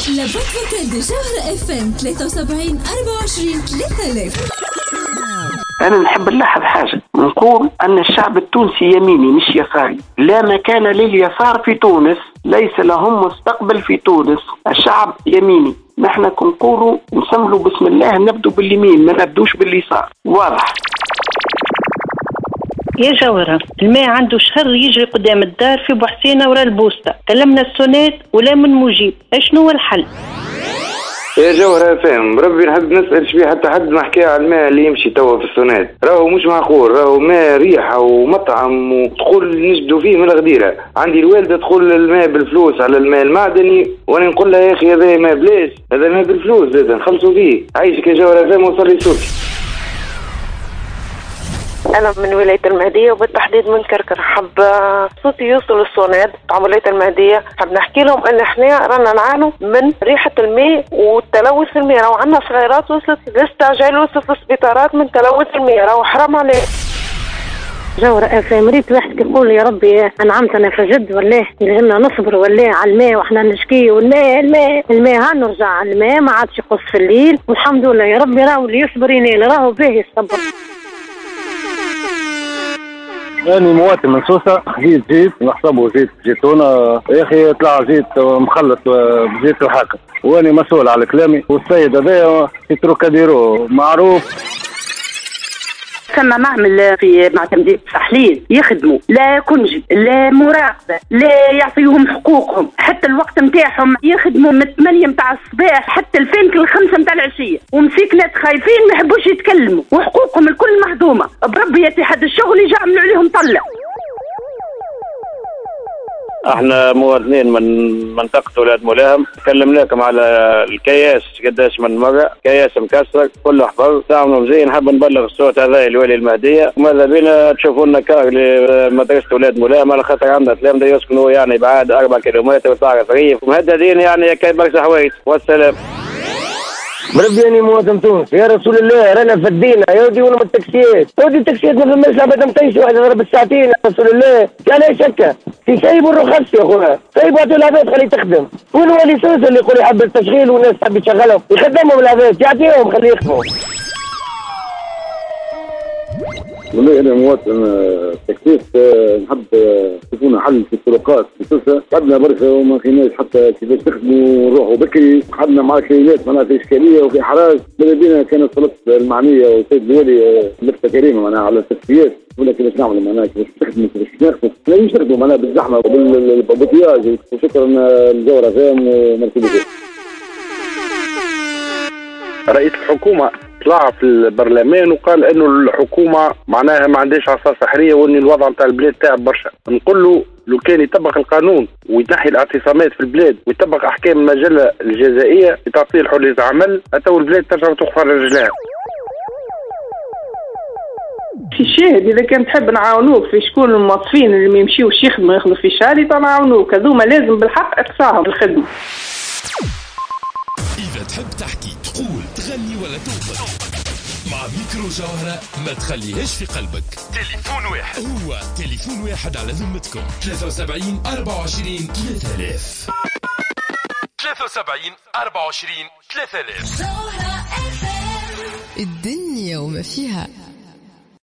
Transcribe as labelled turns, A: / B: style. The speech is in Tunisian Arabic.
A: La boîte vocale de جوهرة FM 73 24 3000.
B: أنا نحب نلاحظ حاجة، نقول أن الشعب التونسي يميني مش يساري، لا مكان لليسار في تونس، ليس لهم مستقبل في تونس، الشعب يميني. نحن كنقولوا نسملوا بسم الله، نبدو باليمين ما نبدوش باليسار، واضح.
C: يا جوهرة، الماء عنده شهر يجري قدام الدار في بوحسينة ورا البوسطة، كلمنا السونات ولا من مجيب، اشنو هو الحل؟
D: يا جوهرة فاهم، ربي نحب نسأل شبيه حتى حد ما حكى على الماء اللي يمشي توا في السونات، راهو مش معقول، راهو ماء ريحة ومطعم وتقول نجدوا فيه من الغديرة. عندي الوالدة تقول الماء بالفلوس على الماء المعدني، وانا نقول لها يا اخي هذا ماء بلاش، هذا ماء بالفلوس زاد نخلصوا فيه. عايشك يا جوهرة فاهم، وصل لي صوتي.
E: أنا من ولاية المهدية وبالتحديد من كركر، حب صوتي يوصل للصوناد تاع ولاية المهدية، حب نحكي لهم أن احنا رانا نعانوا من ريحة الماء والتلوث الماء، راهو عندنا صغيرات وصلت للاستعجال وصلت للسبيطارات من تلوث الماء، راهو حرام عليه.
F: جوهرة FM، ريت واحد يقول يا ربي أنعمتنا فجد، ولا لازمنا نصبر ولا على الماء وإحنا نشكي، والماء الماء الماء ها نرجع على الماء ما عادش يقص في الليل، والحمد لله يا ربي راهو اللي يصبر ينال، راهو باهي الصبر.
G: أنا مواطن من سوسة، خذيت زيت نحسبه زيت زيتونة، يا أخي طلع زيت مخلط بزيت الحاكم، وأنا مسؤول على كلامي، والسيد هذايا في تروكاديرو معروف.
H: ثم معمل في معتمدية التحليل يخدموا لا congé لا مراقبة لا يعطيهم حقوقهم، حتى الوقت نتاعهم يخدموا من 8 نتاع الصباح حتى الفين 5 نتاع العشية، ومسيكنات خايفين ما يحبوش يتكلموا وحقوقهم الكل مهضومة. بربي يا اتحاد الشغل يجي يعملوا عليهم طلة.
G: احنا مواطنين من منطقة ولاد ملاهم، كلمناكم على الكياس قداش من مرة، كياس مكسر كله حفر، تعملوا مزيان. نحب نبلغ الصوت هذا لولي المهدية، وماذا بينا تشوفوا لنا كار لمدرسة ولاد ملاهم، على خاطر عندنا تلامذة يسكنوا يعني بعد 4 كيلومتر وتعرف ريف ومهددين يعني كاين برشا حوايج. والسلام.
I: بربي اني مواطن تونسي يا رسول الله، رانا فدينا يا ودي، ولا من التاكسيات يا ودي، التاكسيات ما فماش عباد مطيش واحد ضرب الساعتين يا رسول الله، علاش هكا؟ في سيبوا الرخص يا خويا، سيبوا عطوا العباد خلي تخدم، وين هو اللي سوسة اللي يقول يحب التشغيل والناس تحب تشغلهم، يخدمهم العباد، يعطيهم خليه يخدموا.
G: والله انا مواطن taxiste، نحب تكون حل في الطرقات في سوسة، تعبنا برشا وما لقيناش حتى كيفاش نخدموا ونروحوا بكري، قعدنا مع كينات معناها في اشكالية وفي احراج، ماذا بينا كانت السلطات المعنية والسيد الوالي لفته كريمة معناها على التاكسيات، ولا كيفاش نعملوا معناها كيفاش نخدموا كيفاش ناخذوا، ما نجمش نخدموا معناها بالزحمة وبال embouteillage. وشكرا لجوهرة FM و merci beaucoup.
D: رئيس الحكومة طلع في البرلمان وقال انه الحكومة معناها ما عندهاش عصا سحريه وان الوضع نتاع البلاد تعب برشا. نقول له لو كان يطبق القانون وينحي الاعتصامات في البلاد ويطبق احكام المجلة الجزائيه لتعطيل حرية العمل، تو البلاد ترجع وتوقف على رجلها.
J: في شاهد اذا كان تحب نعاونوك في شكون الموظفين اللي ما يمشيوش يخدموا ياخذوا في شهادة نعاونوك، هذوما لازم بالحق اقصاهم الخدمة.
K: إذا تحب تحكي تقول تغني ولا توقف مع ميكرو جوهرة ما تخليهاش في قلبك. تليفون واحد هو تليفون واحد على ذمتكم 73 24 3000 73 24 3000.
A: الدنيا وما فيها.